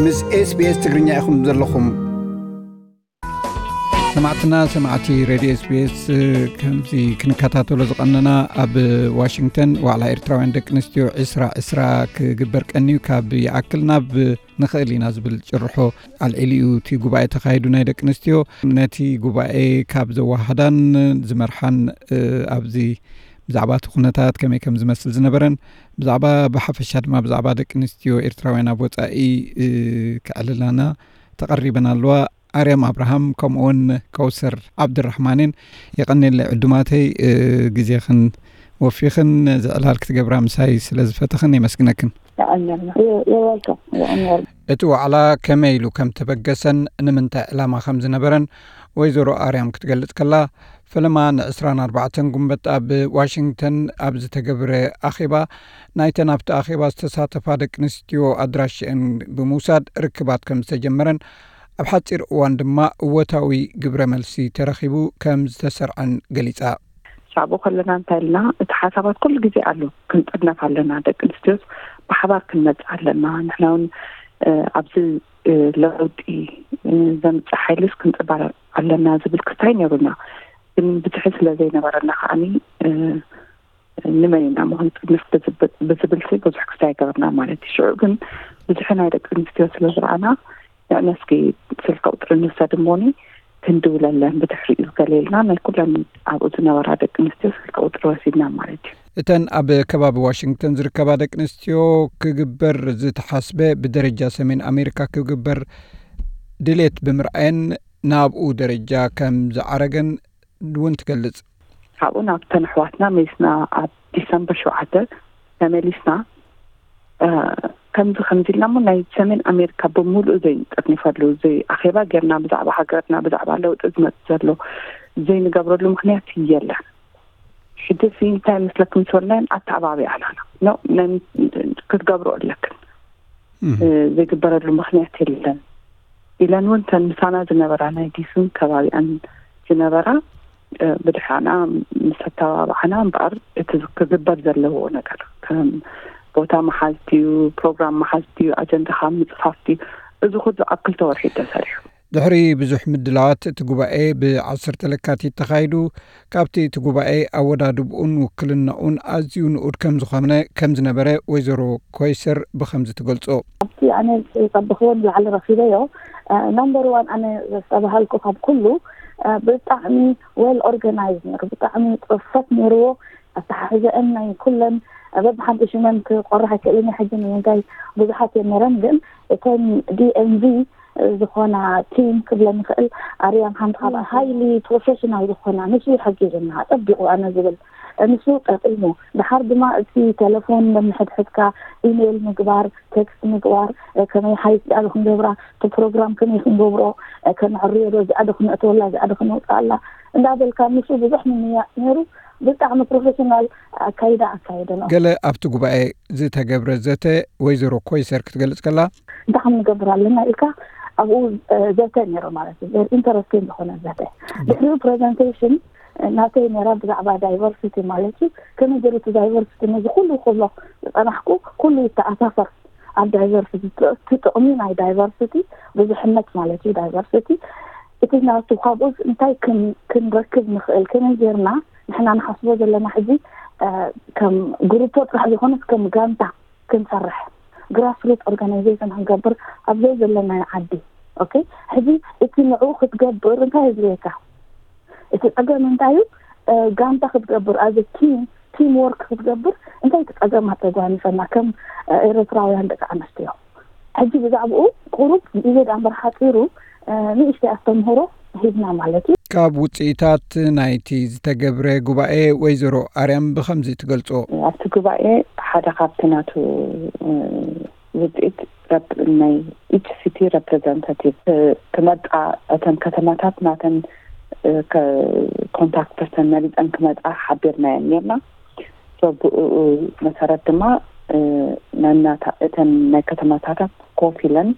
ምስ SBS ትግርኛ ኢኹም ዘለኹም። ሰማዕትና፣ ሰማዕቲ ሬድዮ SBS፣ ከምዚ ክንከታተሎ ዝቐነና፣ ኣብ ዋሽንግተን ዋዕላ ኤርትራውያን ደቂ ኣንስትዮ ዕስራ ዕስራ ክግበር ቀንዩ፣ ካብ ይኣክል ናብ ንኽእል ኢና ዝብል ጭርሖ ኣልዒሉ እዩ እቲ ጉባኤ ተኻይዱ ናይ ደቂ ኣንስትዮ። ነቲ ጉባኤ ካብ ዘወሃሃዳን ዝመርሓን፣ ኣብዚ ብዛዕባ እቲ ኩነታት ከመይ ከም ዝመስል ዝነበረን፣ ብዛዕባ፣ ብሓፈሻ ድማ ብዛዕባ ደቂ ኣንስትዮ ኤርትራውያን ኣብ ወጻኢ ክዕልላና ተቐሪበን ኣለዋ። ኣርያም ኣብርሃም ከምኡውን ከውሰር ዓብድራሕማንን የቐኔለ ዕዱማተይ፣ ግዜኽን ወፊኽን ዝዕላል ክትገብራ ምሳይ ስለ ዝፈተኽን የመስግነክን። የቐንየልና። የ-፣ you're welcome። የቐንየልና። እቲ ዋዕላ ከመይ ኢሉ ከም ተበገሰን ንምንታይ ዕላማ ከም ዝነበረን ወይዘሮ ኣርያም ክትገልጽ ከላ፣ ፈለማ ንዕስራን ኣርባዕተን ጉንበት ኣብ ዋሽንግተን ኣብ ዝተገብረ ኣኼባ፣ ናይተን ኣብቲ ኣኼባ ዝተሳተፋ ደቂ ኣንስትዮ ኣድራሽአን ብምውሳድ ርክባት ከም ዝተጀመረን፣ ኣብ ሓጺር እዋን ድማ እወታዊ ግብረ መልሲ ተረኺቡ ከም ዝተሰርዐን ገሊጻ። ሳብኡ ከለና እንታይ ኢልና፣ እቲ ሓሳባት ኩሉ ግዜ ኣሎ፣ ክንጥርነፍ ኣለና፣ ደቂ ኣንስትዮስ ብሓባር ክንመጽእ ኣለና፣ ንሕና እውን፣ እ፣ ኣብዚ፣ እ፣ ለውጢ፣ እ፣ ዘምጽእ ሓይልስ ክንጽባረር ኣለና ዝብል ክስታይ ነይሩና። ግን ብዝሒ ስለ ዘይነበረና ከዓኒ፣ እ፣ ንመን ኢና እሞ ክንጥርንፍ ብዝብል፣ ብዝብልሲ ብዙሕ ክስታይ ኣይገበርና ማለት እዩ። ሽዑ ግን ብዝሒ ናይ ደቂ ኣንስትዮ ስለ ዝረኣና፣ ንዕነስኪ ስልኪ ቁጽሪ ንውሰድ እሞኒ ክንድውለለን ብድሕሪኡ ገለ ኢልና ናይ ኩለን ኣብኡ ዝነበራ ደቂ ኣንስትዮ ስልኪ ቁጽሪ ወሲድና ማለት እዩ። እተን ኣብ ከባቢ ዋሽንግተን ዝርከባ ደቂ ኣንስትዮ ክግበር ዝተሓስበ ብደረጃ ሰሜን ኣሜሪካ ክግበር ድሌት ብምርኣየን ናብኡ ደረጃ ከም ዝዓረገን እውን ትገልጽ። ካብኡ ናብተን ኣሕዋትና መሊስና ኣብ ዲሰምበር ሸውዓተ ተመሊስና፣ እ፣ ከምዚ ከምዚ ኢልና እሞ ናይ ሰሜን ኣሜሪካ ብምሉኡ ዘይንጥርንፈሉ፣ ዘይ-፣ ኣኼባ ጌርና ብዛዕባ ሃገርና፣ ብዛዕባ ለውጢ ዝመጽእ ዘሎ ዘይንገብረሉ ምኽንያት የለን። ሕጂ ሲ እንታይ መስለኩም ምስ በልናየን ኣተዓባቢኣናና። ኖ፣ ነን-፣ ክትገብሮ ኣለክን። እህ። እ፣ ዘይግበረሉ ምኽንያት የለን ኢለን እውን እተን ምሳና ዝነበራ ናይ ዲስን ከባቢኣን ዝነበራ፣ እ፣ ብድሓና ምስ ኣተባባዓና እምበኣር እቲ ክግበር ዘለዎ ነገር ከም ቦታ መሓዝቲ እዩ፣ ፕሮግራም መሓዝቲ እዩ፣ ኣጀንዳኻ ምጽፋፍቲ እዩ። እዚ ኩሉ ኣብ ክልተ ወርሒ እዩ ተሰሪሑ። ድሕሪ ብዙሕ ምድላዋት እቲ ጉባኤ ብ ዓሰርተ ለካቲት ተኻይዱ። ካብቲ እቲ ጉባኤ ኣወዳድብኡን ውክልናኡን ኣዝዩ ንኡድ ከም ዝኾነ፣ ከም ዝነበረ ወይዘሮ ኮይሰር ብኸምዚ ትገልጾ። ኣብቲ ኣነ ዝጸበኽዎን ላዕሊ ረኺበዮ፣ እ፣ ናምበር ዋን ኣነ ዘስተባሃልኩ ካብ ኩሉ፣ እ፣ ብጣዕሚ ዌል ኦርጋናይዝ ነይሩ፣ ብጣዕሚ ጽፈት ነይርዎ። ኣተሓሕዘአን ናይ ኩለን፣ እ፣ በብሓንቲ ሽመን ክቆርሕ ኣይክእልን እየ ሕጂ፣ ንምንታይ ብዙሓት እየን ነይረን፣ ግን እተን ዲ ኤም ቪ ዝኾና ቲም ክብለን ይኽእል። ኣርያም ሓንቲ ካብኣ ሃይሊ ፕሮፌሽናል ዝኾና፣ ንሱ ይሕግዝና፣ ጸቢቑ ኣነ ዝብል፣ ንሱ ጠቒሙ። ድሓር ድማ እቲ ቴሌፎን ነንሕድሕድካ ኢሜይል ምግባር፣ ቴክስት ምግባር፣ ከመይ ሓይስ ዳኣ ክንገብራ፣ እቲ ፕሮግራም ከመይ ክንገብሮ፣ ከነዕርዮ ዶ፣ እዚኣ ዶ ክነእትወላ፣ እዚኣ ዶ ክነውፅኣላ እንዳበልካ፣ ንሱ ብዙሕ ምምያጥ ነይሩ። ብጣዕሚ ፕሮፌሽናል ኣካይዳ ኣካየደ ነው። ገለ ኣብቲ ጉባኤ ዝተገብረ ዘተ ወይዘሮ ኮይሰር ክትገልጽ ከላ፣ እንታይ ከም ንገብር ኣለና ኢልካ ኣብኡ፣ እ፣ ዘተ ነይሩ ማለት እዩ። ቨሪ ኢንተረስቲንግ ዝኾነ ዘተ። ድሕሪኡ ፕሬዘንቴሽን፣ እ፣ ናተይ ነይራ ብዛዕባ ዳይቨርሲቲ ማለት እዩ። ከመይ ገይሩ እቲ ዳይቨርሲቲ ነዚ ኩሉ ክብሎ ዝጸናሕኩ ኩሉ ይተኣሳሰር ኣብ ዳይቨርሲቲ፣ እቲ ጥቕሚ ናይ ዳይቨርሲቲ ብዙሕነት ማለት እዩ። ዳይቨርሲቲ እቲ ናቱ ካብኡ እንታይ ክን-፣ ክንረክብ ንኽእል፣ ከመይ ጌርና ንሕና ንሓስቦ ዘለና ሕጂ፣ እ፣ ከም ግሩፖ ጥራሕ ዘይኮነስ ከም ጋንታ ክንሰርሕ፣ ግራስሩት ኦርጋናይዜሽን ክንገብር ኣብ ዘይ ዘለናዮ ዓዲ። ኦኬ፣ ሕጂ እቲ ንዕኡ ክትገብር እንታይ የድልየካ? እቲ ጸገም እንታይ እዩ? እ፣ ጋንታ ክትገብር፣ ኣዘ ቲም፣ ቲም ወርክ ክትገብር እንታይ እቲ ጸገማት ተጓኒፈና ከም፣ እ፣ ኤርትራውያን ደቂ ኣንስትዮ? ሕጂ ብዛዕባኡ ቁሩብ ግዜ ዳኣ እምበር ሓጺሩ፣ እ፣ ንእሽተይ ኣስተምህሮ ሂብና ማለት እዩ። ካብ ውጽኢታት ናይቲ ዝተገብረ ጉባኤ ወይዘሮ ኣርያም ብኸምዚ ትገልጾ። ኣብቲ ጉባኤ ሓደ ካብቲ ናቱ፣ እ፣ ውጽኢት ረፕ-፣ ናይ ኢች ሲቲ ረፕሬዘንታቲቭ፣ እ፣ ክመጣ፣ እተን ከተማታት ናተን፣ እ፣ ከ-፣ ኮንታክት ፐርሰን መሪጸን ክመጣ ሓቢርናየን ኔርና። ሶ ብኡ መሰረት ድማ፣ እ፣ ነናታ እተን ናይ ከተማታታት ኮፍ ኢለን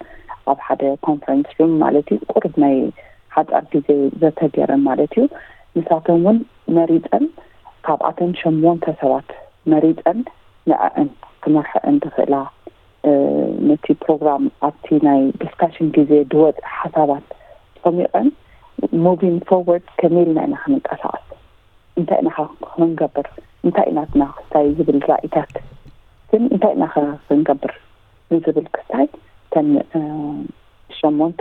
ኣብ ሓደ ኮንፈረንስ ሩም ማለት እዩ፣ ቁሩብ ናይ ሓጻር ግዜ ዘተ ገይረን ማለት እዩ። ንሳተን እውን መሪጸን፣ ካብኣተን ሸሞንተ ሰባት መሪጸን ንዐአን ክመርሐአን ዝኽእላ ነቲ ፕሮግራም ኣብቲ ናይ ዲስካሽን ግዜ ዝወፅ ሓሳባት ፀሚቐን ሙቪንግ ፎርወርድ ከመይ ኢልና ኢና ክንንቀሳቐስ፣ እንታይ ኢና ክንገብር፣ እንታይ ናትና ክስታይ ዝብል ራእይታት ግን እንታይ ኢና ክንገብር ንዝብል ክስታይ ተን ሸሞንተ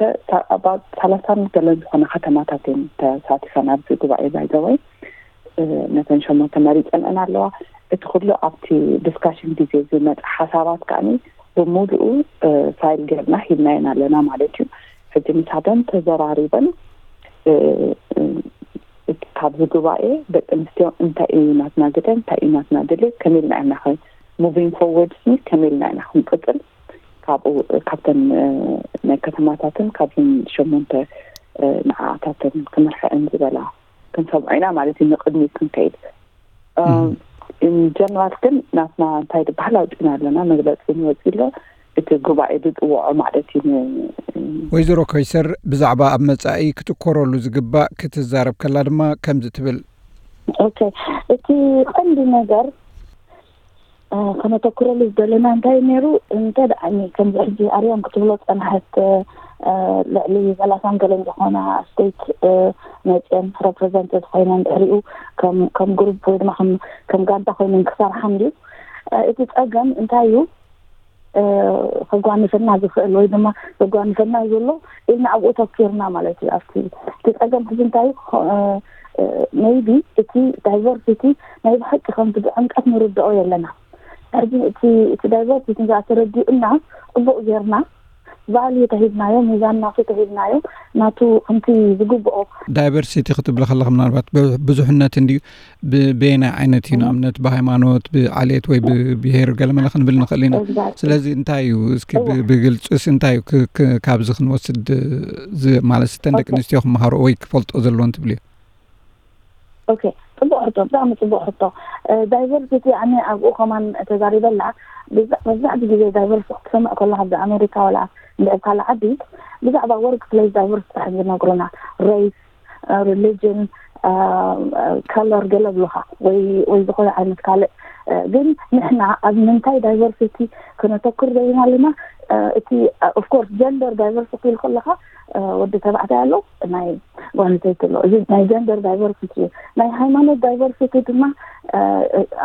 ኣባውት ሰላሳን ገለን ዝኾነ ከተማታት እየን ተሳቲፈን ኣብዚ ጉባኤ ባይዘወይ። ነተን ሸሞንተ መሪፀንአን ኣለዋ። እቲ ኩሉ ኣብቲ ዲስካሽን ግዜ ዝመፀ ሓሳባት ከዓኒ ብምሉኡ ፋይል ገርና ሂብናየን ኣለና ማለት እዩ። ሕጂ ምሳተን ተዘራሪበን ካብዚ ጉባኤ ደቂ ኣንስትዮ እንታይ እዩ ናትና ግደ፣ እንታይ እዩ ናትና ድሌት፣ ከመይ ኢልና ኢና ሙቪንግ ፎርወርድ ከመይ ኢልና ኢና ክንቅፅል ካብኡ ካብተን ናይ ከተማታትን ካብዘን ሸሞንተ ንዓታተን ክምርሐን ዝበላ ክንሰምዖ ኢና ማለት እዩ። ንቅድሚት ክንከይድ ኢንጀነራል ግን ናትና እንታይ ዝበሃል ኣውፂና ኣለና፣ መግለፂ ንወፂ ኣሎ። እቲ ጉባኤ ዝፅውዖ ማለት እዩ። ወይዘሮ ኮይሰር ብዛዕባ ኣብ መፃኢ ክትኮረሉ ዝግባእ ክትዛረብ ከላ ድማ ከምዚ ትብል። ኦኬ፣ እቲ ቀንዲ ነገር ከነተኩረሉ ዝደለና እንታይ ነይሩ? እንተ ደኣ ከምዚ ሕጂ ኣርያም ክትብሎ ጸናሕት ልዕሊ ሰላሳን ገለን ዝኾና ስቴት መፅአን ሬፕሬዘንትድ ኮይነን ድሕሪኡ ከም ግሩፕ ወይ ድማ ከም ጋንታ ኮይነን ክሰርሓ እንድዩ። እቲ ፀገም እንታይ እዩ? ከጓንፈና ዝኽእል ወይ ድማ ዘጓንፈና ዘሎ ኢልና ኣብኡ ተኪርና ማለት እዩ። ኣብቲ እቲ ፀገም ሕዚ እንታይ እዩ? ሜይቢ እቲ ዳይቨርሲቲ ናይ ብሓቂ ከምቲ ብዕምቀት ንርድኦ የለና። ሕዚ እቲ እቲ ዳይቨርሲቲ ንዛ ተረዲኡና ፅቡቅ ጌርና ቫልዩ ተሂብናዮ፣ ሚዛን ናቱ ተሂብናዮ፣ ናቱ ከምቲ ዝግብኦ። ዳይቨርሲቲ ክትብሊ ከለኻ ምናልባት ብዙሕነት እንድዩ ብየናይ ዓይነት እዩ? ንኣብነት ብሃይማኖት፣ ብዓሌት ወይ ብብሄር ገለመለ ክንብል ንኽእል ኢና። ስለዚ እንታይ እዩ እስኪ ብግልፅስ እንታይ እዩ ካብዚ ክንወስድ ማለት እተን ደቂ ኣንስትዮ ክመሃሮ ወይ ክፈልጦ ዘለዎን ትብልዮ? ኦኬ፣ ፅቡቅ ሕቶ፣ ብጣዕሚ ፅቡቅ ሕቶ። ዳይቨርሲቲ ኣነ ኣብኡ ከማን ተዛሪበላ። መብዛሕቲ ግዜ ዳይቨርሲቲ ክትሰምዕ ከለካ ኣብዚ ኣሜሪካ ዋላ እንድዒ ካልእ ዓዲ ብዛዕባ ወርክ ፕሌስ ዳይቨርሲቲ እዮም ዝነግሩና። ሬስ፣ ሪሊጅን፣ ከለር ገለ ብሉካ ወይ ወይ ዝኾነ ዓይነት ካልእ። ግን ንሕና ኣብ ምንታይ ዳይቨርሲቲ ክነተኩር ደሊና ኣለና? እቲ ኦፍኮርስ ጀንደር ዳይቨርሲቲ ኢል ከለካ ወዲ ተባዕታይ ኣሎ፣ ናይ ጓል ኣንስተይቲ ኣሎ። እዚ ናይ ጀንደር ዳይቨርሲቲ እዩ። ናይ ሃይማኖት ዳይቨርሲቲ ድማ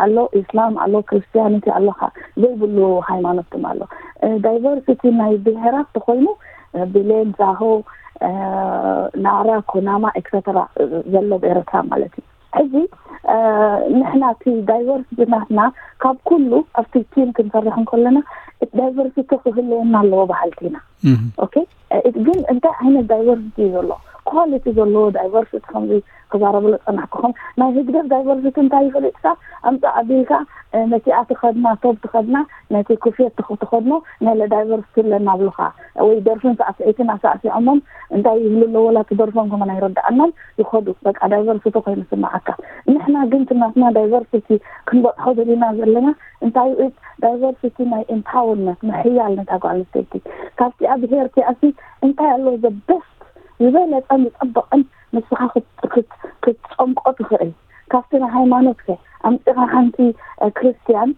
ኣሎ፣ ኢስላም ኣሎ፣ ክርስቲያኒቲ ኣሎ፣ ዘይብሉ ሃይማኖት ድማ ኣሎ። ዳይቨርሲቲ ናይ ብሄራት ተኮይኑ ብሌን፣ ዛሆ፣ ናራ፣ ኩናማ ኤክሰተራ ዘሎ ብኤረትራ ማለት እዩ። ሕዚ ንሕና እቲ ዳይቨርሲቲ ናትና ካብ ኩሉ ኣብቲ ቲም ክንሰርሕ እንከለና ዳይቨርሲቲ ክህልወና ኣለዎ በሃልቲ ኢና። ኦኬ፣ ግን እንታይ ዓይነት ዳይቨርሲቲ እዩ ዘሎ? ኳሊቲ ዘለዎ ዳይቨርሲቲ ከምዚ ክዛረበሉ ፀናሕኩኹም። ናይ ህግደፍ ዳይቨርሲቲ እንታይ ይፈልጥካ? ኣምፃእ ኣቢልካ ነቲኣ ትኸድና ቶብ ትኸድና ነቲ ኩፍየት ትኸድኖ ነለ ዳይቨርሲቲ ኣለና ብሉካ ወይ ደርፍን ሳዕስዒትን ኣሳዕሲዖሞም እንታይ ይብሉ ኣለዎ ላ ትደርፎም ከመን ኣይረዳኣናን ይኸዱ። በቃ ዳይቨርሲቲ ኮይኑ ስማዓካ። ንሕና ግን ትናትና ዳይቨርሲቲ ክንበፅሖ ደሊና ዘለና እንታይ ዳይቨርሲቲ ናይ ኤምፓወርመንት ምሕያል ነታ ጓል ኣንስተይቲ ካብቲኣ ብሄር ቲኣሲ እንታይ ኣሎ ዘ ቤስት ዝበለፀን ዝፀበቐን ንስኻ ክትፀምቆ ትኽእል ካብቲ ናይ ሃይማኖት ከ ኣምፂኻ ሓንቲ ክርስትያን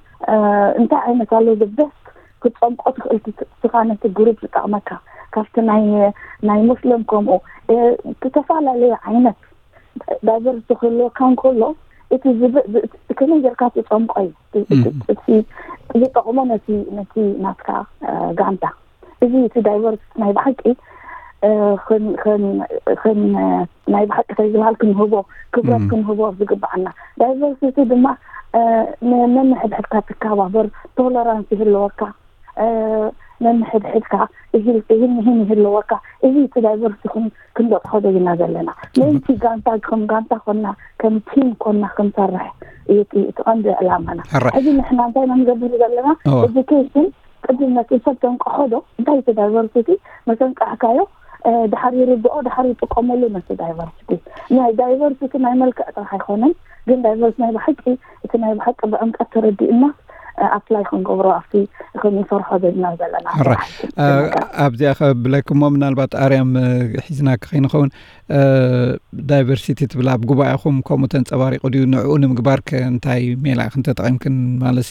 እንታይ ዓይነት ኣሎ ዘ ቤስት ክትፀምቆ ትኽእል ስኻ ነቲ ግሩፕ ዝጠቕመካ ካብቲ ናይ ናይ ሙስሊም ከምኡ ዝተፈላለዩ ዓይነት ዳይቨርሲቲ ክህልወካ እንከሎ እቲ ከመይ ጌርካ ትፀምቆ እዩ ዝጠቕሞ ነቲ ነቲ ናትካ ጋንታ። እዚ እቲ ዳይቨርሲቲ ናይ ብሓቂ ናይ ብሓቂ እንታይ ዝበሃል ክንህቦ ክብረት ክንህቦ ዝግባዓና። ዳይቨርሲቲ ድማ ነንሕድሕድካ ትከባበር፣ ቶለራንስ ይህልወካ፣ ነንሕድሕድካ ይህን ይህን ይህልወካ። እዚ እቲ ዳይቨርሲቲ ክንበፅሖ ደይና ዘለና ምእንቲ ጋንታ ከም ጋንታ ኮና ከም ቲም ኮና ክንሰርሕ እዩ እቲ ቀንዲ ዕላማና። ሕዚ ንሕና እንታይ ኢና ንገብር ዘለና? ኤዱኬሽን ቅድም ነቲ ሰብ ተንቀሖ ዶ እንታይ እቲ ዳይቨርሲቲ መተንቀሕካዮ ድሓር ይርድኦ ድሓር ይጥቀመሉ ነቲ ዳይቨርሲቲ። ናይ ዳይቨርሲቲ ናይ መልክዕ ጥራሕ ኣይኮነን ግን ዳይቨርስ ናይ ብሓቂ እቲ ናይ ብሓቂ ብዕምቀት ተረዲእና ኣፕላይ ክንገብሮ ኣብቲ ክንሰርሖ ዘለና ዘለና ኣብዚኣ ከብለክሞ ምናልባት ኣርያም ሒዝና ከይንኸውን ዳይቨርሲቲ ትብል ኣብ ጉባኤኹም ከምኡ ተንፀባሪቑ ድዩ? ንዕኡ ንምግባር ከ እንታይ ሜላ ኢኽን ተጠቒምክን? ማለት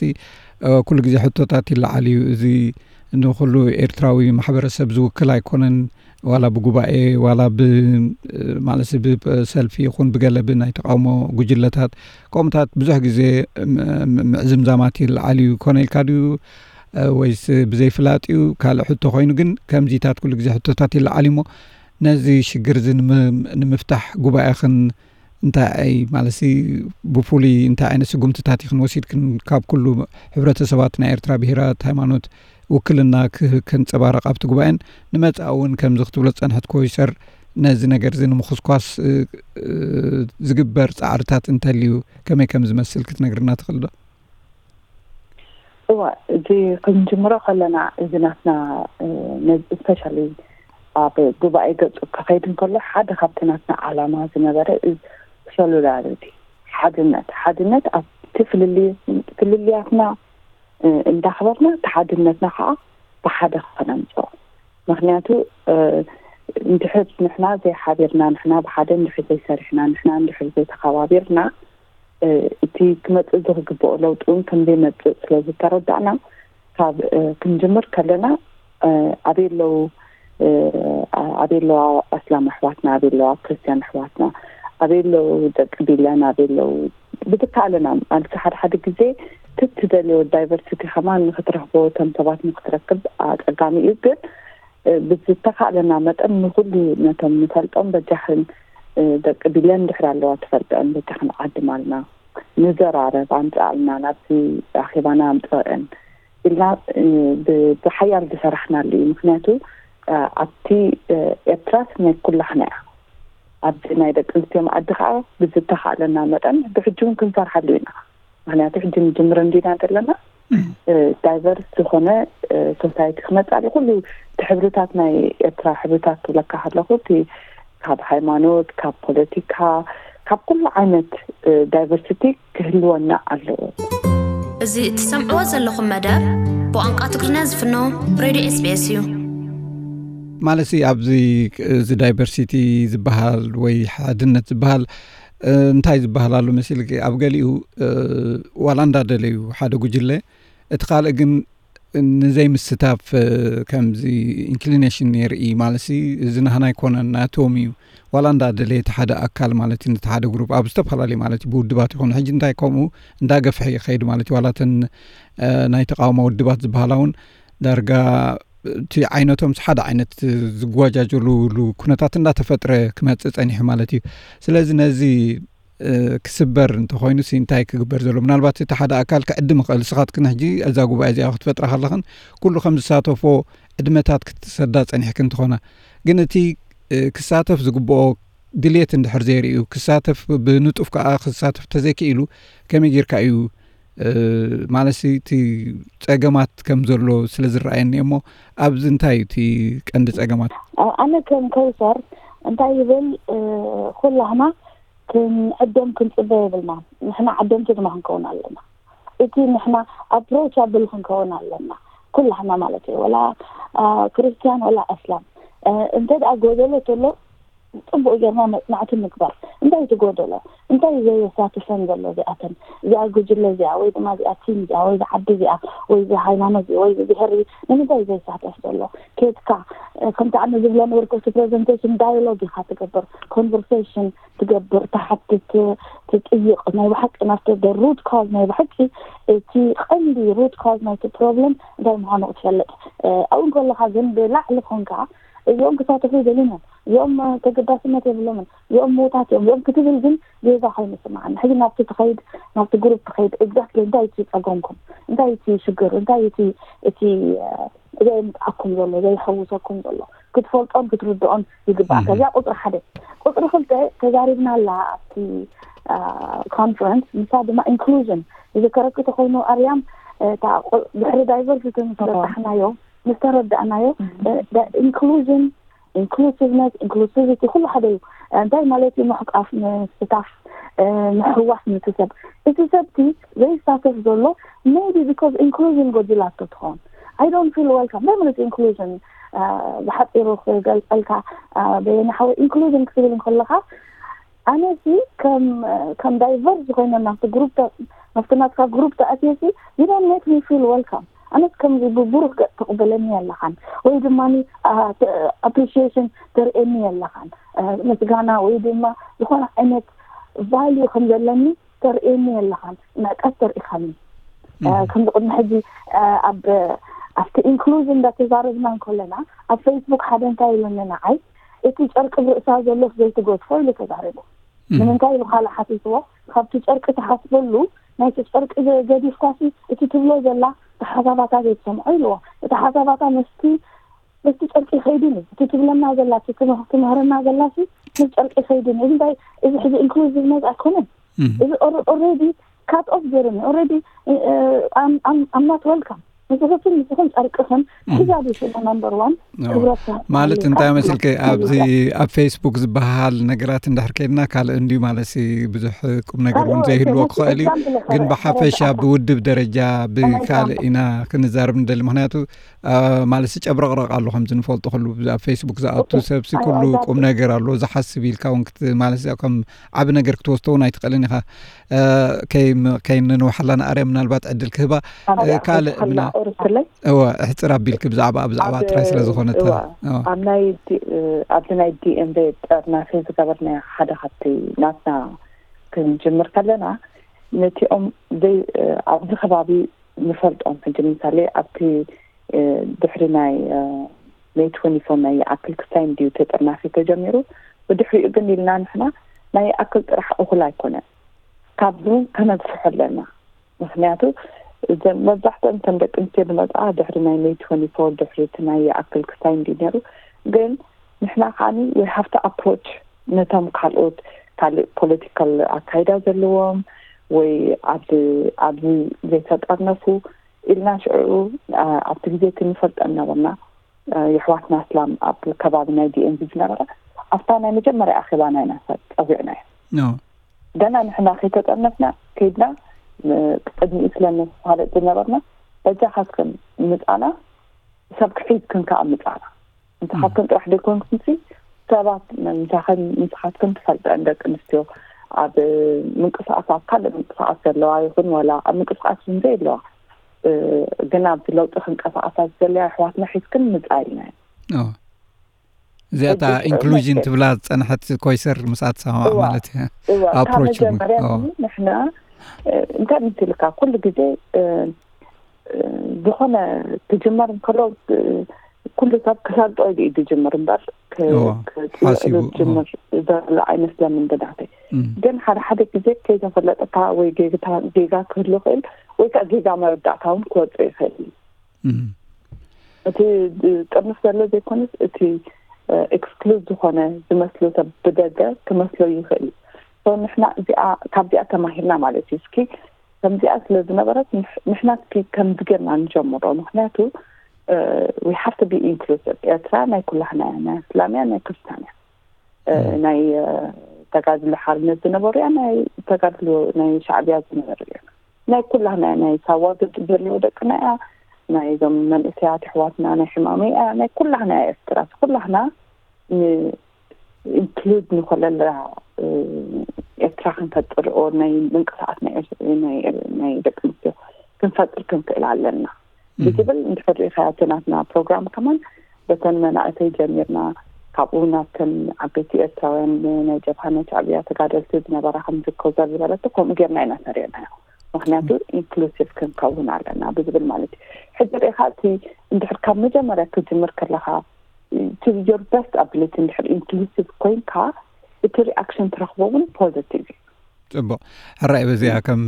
ኩሉ ግዜ ሕቶታት ይለዓል እዩ። እዚ ንኹሉ ኤርትራዊ ማሕበረሰብ ዝውክል ኣይኮነን። ዋላ ብጉባኤ ዋላ ብ ማለት ብሰልፊ ይኹን ብገለ ብናይ ተቃውሞ ጉጅለታት ከምኡታት ብዙሕ ግዜ ምዕዝምዛማት ይለዓል እዩ። ኮነ ኢልካ ድዩ ወይስ ብዘይፍላጥ እዩ ካልእ ሕቶ ኮይኑ፣ ግን ከምዚታት ኩሉ ግዜ ሕቶታት ይለዓል እሞ ነዚ ሽግር እዚ ንምፍታሕ ጉባኤኽን እንታይ ኣይ ማለት ብፍሉይ እንታይ ዓይነት ስጉምትታት ኢኽን ወሲድክን ካብ ኩሉ ሕብረተሰባት ናይ ኤርትራ ብሄራት ሃይማኖት ውክልና ከንጸባረቕ ኣብቲ ጉባኤን ንመጻኢ እውን ከምዚ ክትብሎ ዝጸንሐት ኮይሰር ነዚ ነገር እዚ ንምኹስኳስ ዝግበር ጻዕርታት እንተልዩ ከመይ ከም ዝመስል ክትነግርና ትኽእል ዶ? እዋ፣ እዚ ክንጅምሮ ከለና እዚ ናትና ስፔሻሊ ኣብ ጉባኤ ገጹ ክኸይድ እንከሎ ሓደ ካብቲ ናትና ዓላማ ዝነበረ ሶሉዳሪቲ፣ ሓድነት ሓድነት ኣብቲ ፍልልያትና እንዳኽበርና እቲ ሓድነትና ከዓ ብሓደ ከነምፅኦ። ምክንያቱ እንድሕር ንሕና ዘይሓቢርና፣ ንሕና ብሓደ እንድሕር ዘይሰሪሕና፣ ንሕና እንድሕር ዘይተኸባቢርና እቲ ክመፅእ ዝግብኦ ለውጢ እውን ከምዘይመፅእ ስለዝተረዳእና ካብ ክንጅምር ከለና ኣበይ ኣለዉ ኣበይ ኣለዋ ኣስላም ኣሕዋትና፣ ኣበይ ኣለዋ ክርስትያን ኣሕዋትና፣ ኣበይ ኣለዉ ደቂ ቢለን፣ ኣበይ ኣለዉ ብዝከኣለና ማለት ሓደ ሓደ ግዜ ትትደልዮ ዳይቨርሲቲ ከማን ንክትረክቦ እቶም ሰባት ንክትረክብ ኣፀጋሚ እዩ። ግን ብዝተካእለና መጠን ንኩሉ ነቶም ንፈልጦም በጃኽን ደቂ ቢለን ድሕር ኣለዋ ትፈልጠን በጃኽን ዓድማልና ንዘራረብ ኣምፅኣልና ናብዚ ኣኼባና ኣምፅአን ኢልና ብሓያል ዝሰራሕናሉ እዩ። ምክንያቱ ኣብቲ ኤርትራስ ናይ ኩላህና እያ። ኣብዚ ናይ ደቂ ኣንስትዮ መኣዲ ከዓ ብዝተካእለና መጠን ብሕጂ እውን ክንሰርሓሉ ኢና። ምክንያቱ ሕጂ ንጅምር እንዲና ዘለና ዳይቨርስ ዝኾነ ሶሳይቲ ክመፅእ ኣሎ። ኩሉ እቲ ሕብርታት ናይ ኤርትራ ሕብርታት ክብለካ ከለኩ እቲ ካብ ሃይማኖት፣ ካብ ፖለቲካ፣ ካብ ኩሉ ዓይነት ዳይቨርሲቲ ክህልወና ኣለዎ። እዚ እትሰምዕዎ ዘለኹም መደብ ብቋንቋ ትግርኛ ዝፍኖ ሬድዮ ኤስቢኤስ እዩ። ማለት ኣብዚ እዚ ዳይቨርሲቲ ዝበሃል ወይ ሓድነት ዝበሃል እንታይ ዝበሃል ኣሎ መሲል ኣብ ገሊኡ ዋላ እንዳደለዩ ሓደ ጉጅለ እቲ ካልእ ግን ንዘይምስታፍ ከምዚ ኢንክሊኔሽን የርኢ ማለት እዚ ናህና ኣይኮነን ናቶም እዩ ዋላ እንዳደለየ እቲ ሓደ ኣካል ማለት እዩ ነቲ ሓደ ግሩፕ ኣብ ዝተፈላለዩ ማለት እዩ ብውድባት ይኾኑ ሕጂ እንታይ ከምኡ እንዳገፍሐ ይኸይድ ማለት እዩ ዋላተን ናይ ተቃውሞ ውድባት ዝበሃላ እውን ዳርጋ እቲ ዓይነቶም ሓደ ዓይነት ዝጓጃጀሉሉ ኩነታት እንዳተፈጥረ ክመፅእ ፀኒሑ ማለት እዩ። ስለዚ ነዚ ክስበር እንተኮይኑ ሲ እንታይ ክግበር ዘሎ? ምናልባት እቲ ሓደ ኣካል ክዕድም ይኽእል። ንስኻትክን ሕጂ እዛ ጉባኤ እዚኣ ክትፈጥራ ከለኽን ኩሉ ከም ዝሳተፎ ዕድመታት ክትሰዳ ፀኒሕክን ትኾና። ግን እቲ ክሳተፍ ዝግብኦ ድሌት እንድሕር ዘይርእዩ ክሳተፍ ብንጡፍ ከዓ ክሳተፍ ተዘይክኢሉ ከመይ ጌርካ እዩ ማለት እቲ ፀገማት ከም ዘሎ ስለ ዝረኣየኒ እሞ ኣብዚ እንታይ እዩ እቲ ቀንዲ ፀገማት? ኣነ ከም ከውሰር እንታይ ይብል ኩላህና ክንዕደም ክንፅበ የብልና። ንሕና ዓደምቲ ድማ ክንከውን ኣለና። እቲ ንሕና ኣፕሮቻብል ክንከውን ኣለና ኩላህና ማለት እዩ። ወላ ክርስትያን ወላ ኣስላም እንተ ደኣ ጎደሎ ተሎ ፅቡቅ ጌርና መፅናዕቲ ምግባር። እንታይ እቲ ጎደሎ? እንታይ ዘየሳትፈን ዘሎ እዚኣተን? እዚኣ ጉጅለ እዚኣ ወይ ድማ እዚኣ ቲም እዚኣ ወይ እዚ ዓዲ እዚኣ ወይ እዚ ሃይማኖት እዚ ወይ እዚ ብሄር እዚ ንምንታይ ዘየሳተፍ ዘሎ? ኬድካ ከምቲ ኣነ ዝብሎ ነበርኩ እቲ ፕሬዘንቴሽን ዳያሎግ ኢካ ትገብር፣ ኮንቨርሴሽን ትገብር፣ ትሓትት፣ ትጥይቅ ናይ ብሓቂ ናብቲ ሩት ካዝ ናይ ብሓቂ እቲ ቀንዲ ሩት ካዝ ናይቲ ፕሮብለም እንታይ ምኳኑ ክትፈልጥ ኣብኡ እንከለካ ግን ብላዕሊ ኮንካ እዚኦም ክሳተፉ ይደልዩን እዮም እዚኦም ተገዳስነት የብሎምን እዚኦም ምዉታት እዮም እዚኦም ክትብል ግን ጌጋ ኮይኑ ይስምዓኒ ሕጂ ናብቲ ትኸይድ ናብቲ ግሩፕ ትኸይድ exactly እንታይ እቲ ጸገምኩም እንታይ እቲ ሽግር እንታይ እቲ እቲ ዘየምጽኣኩም ዘሎ ዘየሐውሰኩም ዘሎ ክትፈልጦን ክትርድኦን ይግባእ ከዚያ ቁፅሪ ሓደ ቁፅሪ ክልተ ተዛሪብና ኣላ ኣብቲ ኮንፈረንስ ንሳ ድማ inclusion ዝዘከረኪ ተኮይኑ ኣርያም ድሕሪ diversity ምስ በፃሕናዮ ምስ ተረዳእናዮ inclusion inclusiveness inclusivity ኩሉ ሓደ እዩ እንታይ ማለት እዩ ምሕቃፍ ምስታፍ ምሕዋስ ምስሰብ እቲ ሰብቲ ዘይሳተፍ ዘሎ maybe because inclusion ጎዲላቶ ትኸውን I don't feel welcome እንታይ ማለት inclusion ብሓፂሩ ክገልፀልካ በየነ ሓወይ inclusion ክትብል እንከለካ ኣነሲ ከም ከም ዳይቨርስ ኮይነ ናብቲ ግሩፕ ናብቲ ናትካ ግሩፕ ተኣትየሲ you don't make me feel welcome ኣነስ ከምዚ ብብሩህ ገጽ ትቕበለኒ ኣለኻን ወይ ድማ ኣፕሪሺሽን ተርእየኒ ኣለኻን፣ ምስጋና ወይ ድማ ዝኾነ ዓይነት ቫልዩ ከም ዘለኒ ተርእየኒ ኣለኻን፣ መቀስ ተርእኻኒ። ከምዚ ቅድሚ ሕጂ ኣብ ኣብቲ ኢንክሉዥን እንዳተዛረብና እንከለና ኣብ ፌስቡክ ሓደ እንታይ ኢሉኒ ንዓይ፣ እቲ ጨርቂ ብርእሳ ዘሎስ ዘይትገድፎ ኢሉ ተዛሪቡ። ንምንታይ ኢሉ ካልእ ሓቲትዎ? ካብቲ ጨርቂ ትሓስበሉ ናይቲ ጨርቂ ገዲፍኳሲ እቲ ትብሎ ዘላ እቲ ሓሳባታ ዘይትሰምዖ ኢልዎ። እቲ ሓሳባታ መስቲ መስቲ ጨርቂ ይኸይድን እዩ። እቲ ትብለና ዘላ እቲ ትምህርና ዘላሲ ምስ ጨርቂ ይኸይድን እዩ። እንታይ እዚ ሕዚ ኢንክሉዚቭነት ኣይኮነን። እዚ ኦረዲ ካት ኦፍ ገይሩኒ ኦረዲ ኣምናት ወልካም ንስኽትን ንስኽን ጨርቅኽን ሒዛ ዲሽሞ ናምበር ዋን ክብረት ማለት እንታይ መሲልከ ኣብዚ ኣብ ፌስቡክ ዝበሃል ነገራት እንድሕር ከይድና ካልእ እንድዩ ማለት ብዙሕ ቁም ነገር እውን ዘይህልዎ ክኽእል እዩ። ግን ብሓፈሻ ብውድብ ደረጃ ብካልእ ኢና ክንዛረብ ንደሊ። ምክንያቱ ማለት ጨብረቕረቕ ኣሎ ከምዚ ንፈልጦ ከሉ ኣብ ፌስቡክ ዝኣቱ ሰብሲ ኩሉ ቁም ነገር ኣሎ ዝሓስብ ኢልካ እውን ማለት ከም ዓብ ነገር ክትወስዶ እውን ኣይትኽእልን ኢኻ። ከይንንውሓላ ንኣርያ ምናልባት ዕድል ክህባ ካልእ እዋ እሕፅር ኣቢልክ ብዛዕባ ብዛዕባ ጥራይ ስለ ዝኾነት ኣብ ናይ ኣብዚ ናይ ዲኤምቤ ጠርናፊ ዝገበርና ሓደ ካብቲ ናትና ክንጅምር ከለና ነቲኦም ኣብዚ ከባቢ ንፈልጦም ሕጂ ምሳሌ ኣብቲ ድሕሪ ናይ ሜይ ትወንቲ ፎር ናይ ይኣክል ክስታይ እንድዩ ተጠርናፊ ተጀሚሩ። ብድሕሪኡ ግን ኢልና ንሕና ናይ ይኣክል ጥራሕ እኹል ኣይኮነን። ካብዚ እውን ከነግፍሖ ኣለና። ምክንያቱ እዘን መብዛሕትኦም እተን ደቂ ኣንስትዮ ዝመፅኣ ድሕሪ ናይ ሜይ ትወንቲ ፎር ድሕሪ እቲ ናይ ይኣክል ክስታይ እንድዩ ነይሩ። ግን ንሕና ከዓኒ ወይ ሃፍቲ ኣፕሮች ነቶም ካልኦት ካልእ ፖለቲካል ኣካይዳ ዘለዎም ወይ ኣብዚ ኣብዚ ዘይተጠርነፉ ኢልና ሽዑ ኣብቲ ግዜ እቲ ንፈልጠን ነበርና። የሕዋትና እስላም ኣብ ከባቢ ናይ ዲኤምቪ ዝነበረ ኣብታ ናይ መጀመርያ ኣኼባና ኢና ጸዊዕናዮ። ገና ንሕና ከይተጠርነፍና ከይድና ቅድሚኡ ስለ ነፋልጥ ዝነበርና በጃኻትክን ምጻና ሰብ ክሒዝክን ከኣ ምጻና። ንስኻትክን ጥራሕ ዘይኮንኩምሲ ሰባት ምሳኽን ንስኻትክን ትፈልጠን ደቂ ኣንስትዮ ኣብ ምንቅስቃስ ኣብ ካልእ ምንቅስቃስ ዘለዋ ይኹን ዋላ ኣብ ምንቅስቃስ እውን ዘየለዋ ግን ኣብዚ ለውጢ ክንቀሳቀሳ ዝደለያ ኣሕዋትና ሒዝክን ምጻ ኢልና ኢና። እዚኣታ ኢንክሉዥን ትብላ ዝጸንሐት ኮይሰር ምስኣ ትሰማማዕ ማለት እዩ። ኣፕሮች መጀመርያ ንሕና እንታይ ምትልካ ኩሉ ግዜ ዝኾነ ክጅመር እንከሎ ኩሉ ሰብ ክሰልጦ ኢሉ እዩ ዝጅምር እምበር ክፅልእሉ ዝጅምር ዘሎ ኣይመስለምን ብናተይ። ግን ሓደ ሓደ ግዜ ከይተፈለጠካ ወይ ጌጋ ክህሉ ይኽእል ወይ ከዓ ጌጋ መረዳእታ እውን ክወፅእ ይኽእል እዩ። እቲ ጥርንፍ ዘሎ ዘይኮነስ እቲ ኤክስክሉድ ዝኾነ ዝመስሎ ሰብ ብደገ ክመስሎ ይኽእል እዩ። ንሕና እዚኣ ካብዚኣ ተማሂርና ማለት እዩ። እስኪ ከምዚኣ ስለ ዝነበረት ንሕና እስኪ ከምዚ ጌርና ንጀምሮ። ምክንያቱ we have to be inclusive። ኤርትራ ናይ ኩላህና እያ፣ ናይ እስላም እያ፣ ናይ ክርስቲያን እያ፣ ናይ ተጋድሎ ሓርነት ዝነበሩ እያ፣ ናይ ተጋድሎ ናይ ሻዕብያ ዝነበሩ እያ፣ ናይ ኩላህና እያ፣ ናይ ሳዋ ዘለዉ ደቅና እያ፣ ናይ እዞም መንእሰያት ኣሕዋትና ናይ ሕማመይ እያ፣ ናይ ኩላህና እያ ኤርትራ። ኩላህና ኢንክሉድ ንኮለላ ኤርትራ ክንፈጥር ኦር ናይ ምንቅስቃስ ናይ ደቂ ኣንስትዮ ክንፈጥር ክንክእል ኣለና ብዝብል እንድሕር ሪኢኻዮ እቲ ናትና ፕሮግራም ከማን በተን መናእሰይ ጀሚርና ካብኡ ናብተን ዓበይቲ ኤርትራውያን ናይ ጀብሃ ናይ ሻዕብያ ተጋደልቲ ዝነበራ ከምዚ ኮዘር ዝበለቶ ከምኡ ጌርና ኢና ሰሪዕናዮ። ምክንያቱ ኢንክሉሲቭ ክንከውን ኣለና ብዝብል ማለት እዩ። ሕጂ ሪኢኻ እቲ እንድሕር ካብ መጀመርያ ክጅምር ከለኻ to your best ability እንድሕር ኢንክሉሲቭ ኮይንካ እቲ ሪኣክሽን ትረኽቦ እውን ፖዘቲቭ እዩ። ፅቡቕ ሕራይ በዚኣ ከም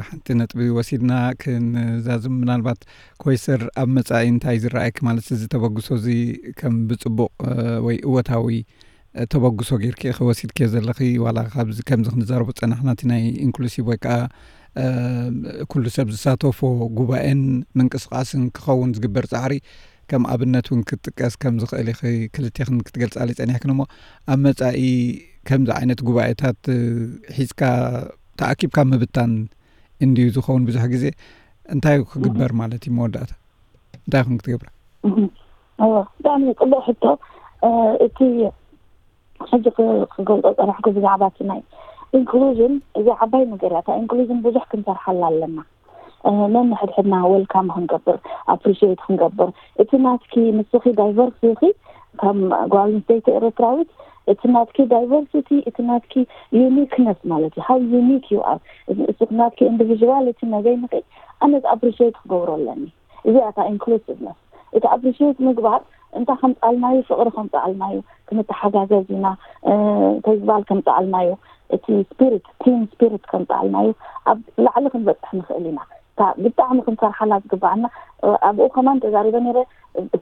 ሓንቲ ነጥቢ ወሲድና ክንዛዝም ምናልባት ኮይስር ኣብ መፃኢ እንታይ ዝረኣየኪ ማለት እዚ ተበግሶ እዚ ከም ብፅቡቕ ወይ እወታዊ ተበግሶ ጌርኪ ኢኺ ወሲድክዮ ዘለኺ ዋላ ካብዚ ከምዚ ክንዛረቦ ዝፀናሕና እቲ ናይ ኢንክሉሲቭ ወይ ከዓ ኩሉ ሰብ ዝሳተፎ ጉባኤን ምንቅስቃስን ክኸውን ዝግበር ፃዕሪ ከም ኣብነት እውን ክጥቀስ ከም ዝኽእል ኢኺ ክልቴኽን ክትገልፃለይ ፀኒሕክን እሞ ኣብ መፃኢ ከምዚ ዓይነት ጉባኤታት ሒዝካ ተኣኪብካ ምብታን እንድዩ ዝኸውን ብዙሕ ግዜ እንታይ ክግበር ማለት እዩ መወዳእታ እንታይ ይኹን ክትገብራ እወ ብጣዕሚ ፅቡቅ ሕቶ እቲ ሕጂ ክገልፆ ፀናሕኩ ብዛዕባ እቲ ናይ ኢንክሉዥን እዚ ዓባይ ነገር እያ እታ ኢንክሉዥን ብዙሕ ክንሰርሓላ ኣለና ነንሕድሕድና ወልካም ክንገብር፣ ኣፕሪሽት ክንገብር፣ እቲ ናትኪ ንስኺ ዳይቨርስ ኢኺ ከም ጓል ኣንስተይቲ ኤርትራዊት፣ እቲ ናትኪ ዳይቨርሲቲ፣ እቲ ናትኪ ዩኒክነስ ማለት እዩ። How unique you are። እቲ ናትኪ ኢንዲቪዥዋል እቲ ነገይ ንኺ ኣነ ኣፕሪሽት ክገብሮ ኣለኒ። እዚኣ እታ ኢንክሉሲቭነስ። እቲ ኣፕሪሽት ምግባር እንታይ ከምፃልናዩ፣ ፍቕሪ ከምፃልናዩ፣ ክንተሓጋገዝ ኢና፣ ተግባል ከምፃልናዩ፣ እቲ ስፒሪት ቲም ስፒሪት ከምፃልናዩ ኣብ ላዕሊ ክንበፅሕ ንኽእል ኢና። ብጣዕሚ ክንሰርሓላ ዝግባኣና ኣብኡ ከማን ተዛሪበ ነረ።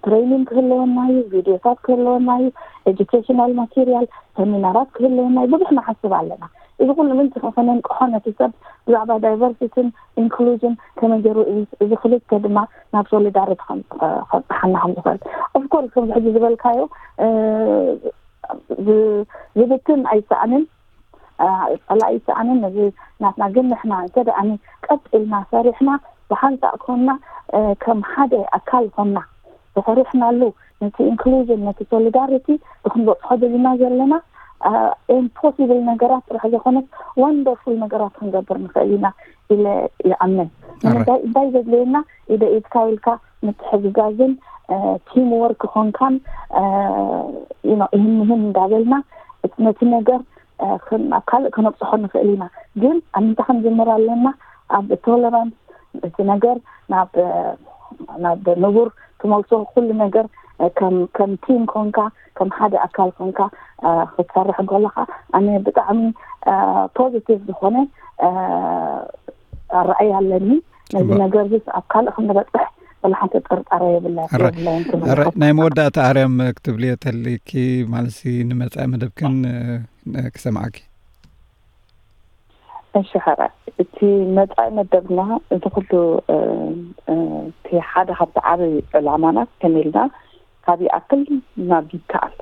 ትሬኒንግ ክህለወና እዩ፣ ቪድዮታት ክህለወና እዩ፣ ኤጁኬሽናል ማቴሪያል ሰሚናራት ክህለወና እዩ። ብዙሕ ንሓስብ ኣለና። እዚ ኩሉ ምንቲ ከነንቅሖ ነቲ ሰብ ብዛዕባ ዳይቨርሲቲን ኢንክሉዥን ከመይ ገይሩ እዚ ክልተ ድማ ናብ ሶሊዳሪቲ ከብፅሓና ከም ዝኽእል። ኦፍኮርስ ከምዚ ሕጂ ዝበልካዮ ዝብትን ኣይሰኣንን፣ ፀላኢ ኣይሰኣንን። ነዚ ናትና ግን ንሕና እንተ ደኣ ቀጥ ኢልና ሰሪሕና ብሓንሳእ ኮንና ከም ሓደ ኣካል ኮንና ተሰሪሕናሉ ነቲ ኢንክሉዥን ነቲ ሶሊዳሪቲ ብክንበፅሖ ዘለና ዘለና ኢምፖሲብል ነገራት ጥራሕ ዘይኮነስ ወንደርፉል ነገራት ክንገብር ንኽእል ኢና ኢለ ይኣምን። ንምንታይ እንታይ ዘድልየና ኢደ ኢድካ ኢልካ ምትሕግጋዝን ቲም ወርክ ኮንካን ይህን ይህን እንዳበልና ነቲ ነገር ናብ ካልእ ከነብፅሖ ንኽእል ኢና። ግን ኣብ ምንታይ ክንጅምር ኣለና? ኣብ ቶለራንስ እቲ ነገር ናብ ናብ ንቡር ትመልሶ ኩሉ ነገር ከም ከም ቲም ኮንካ ከም ሓደ ኣካል ኮንካ ክትሰርሕ እንከለካ ኣነ ብጣዕሚ ፖዚቲቭ ዝኾነ ኣረኣይ ኣለኒ። ነዚ ነገር ዚ ኣብ ካልእ ክንበፅሕ ወላ ሓንቲ ጥርጣረ የብለይን። ናይ መወዳእታ ኣርያም ክትብልዮ ተልኪ ማለት ንመፃኢ መደብክን ክሰምዓኪ። እሺ ሕረ እቲ መፃኢ መደብና እዚ ኩሉ እቲ ሓደ ካብቲ ዓብይ ዕላማና ከመይ ኢልና ካብ ይኣክል ናብ ይከኣል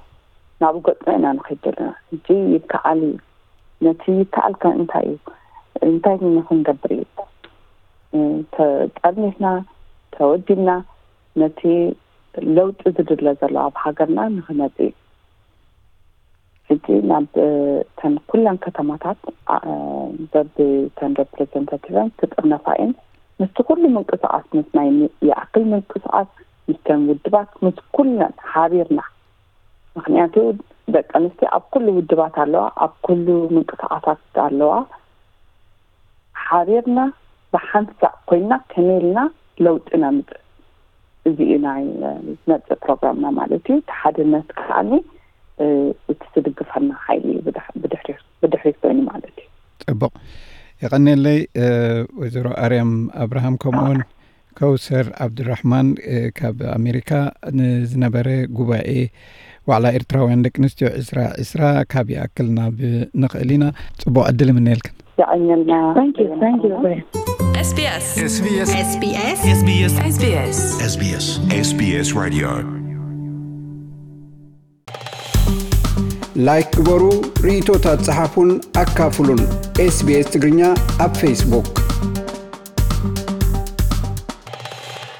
ናብኡ ገፅና ኢና ንኸይድ ዘለና። ሕጂ ይከኣል እዩ። ነቲ ይከኣል ከ እንታይ እዩ? እንታይ ክንገብር እዩ? ተጠርኒፍና ተወዲብና ነቲ ለውጢ ዝድለ ዘሎ ኣብ ሃገርና ንክመፅእ እዩ። ሕጂ ናብ እተን ኩለን ከተማታት በብተን ሬፕሬዘንታቲቨን ክጥርነፋ እየን። ምስቲ ኩሉ ምንቅስቃስ ምስ ናይ ይኣክል ምንቅስቃስ ምስተን ውድባት ምስ ኩለን ሓቢርና ምክንያቱ ደቂ ኣንስትዮ ኣብ ኩሉ ውድባት ኣለዋ፣ ኣብ ኩሉ ምንቅስቃሳት ኣለዋ። ሓቢርና ብሓንሳእ ኮይና ከመይ ኢልና ለውጢ ነምፅእ እዚ እዩ ናይ ዝመፅእ ፕሮግራምና ማለት እዩ። እቲ ሓድነት ከዓኒ እቲ ዝድግፈና ሓይሊ እዩ ብድሕሪት ኮይኑ ማለት እዩ። ፅቡቕ የቐንየለይ ወይዘሮ ኣርያም ኣብርሃም ከምኡውን ከውሰር ዓብዱራሕማን ካብ ኣሜሪካ ንዝነበረ ጉባኤ ዋዕላ ኤርትራውያን ደቂ ኣንስትዮ ዕስራ ዕስራ ካብ ይኣክል ናብ ንኽእል ኢና። ፅቡቕ ዕድል ይምነየልክን። የቐንየልና። Thank you, thank you. SBS SBS SBS SBS SBS SBS SBS SBS Radio ላይክ ግበሩ፣ ርእይቶታት ጸሓፉን ኣካፍሉን። ኤስቢኤስ ትግርኛ ኣብ ፌስቡክ።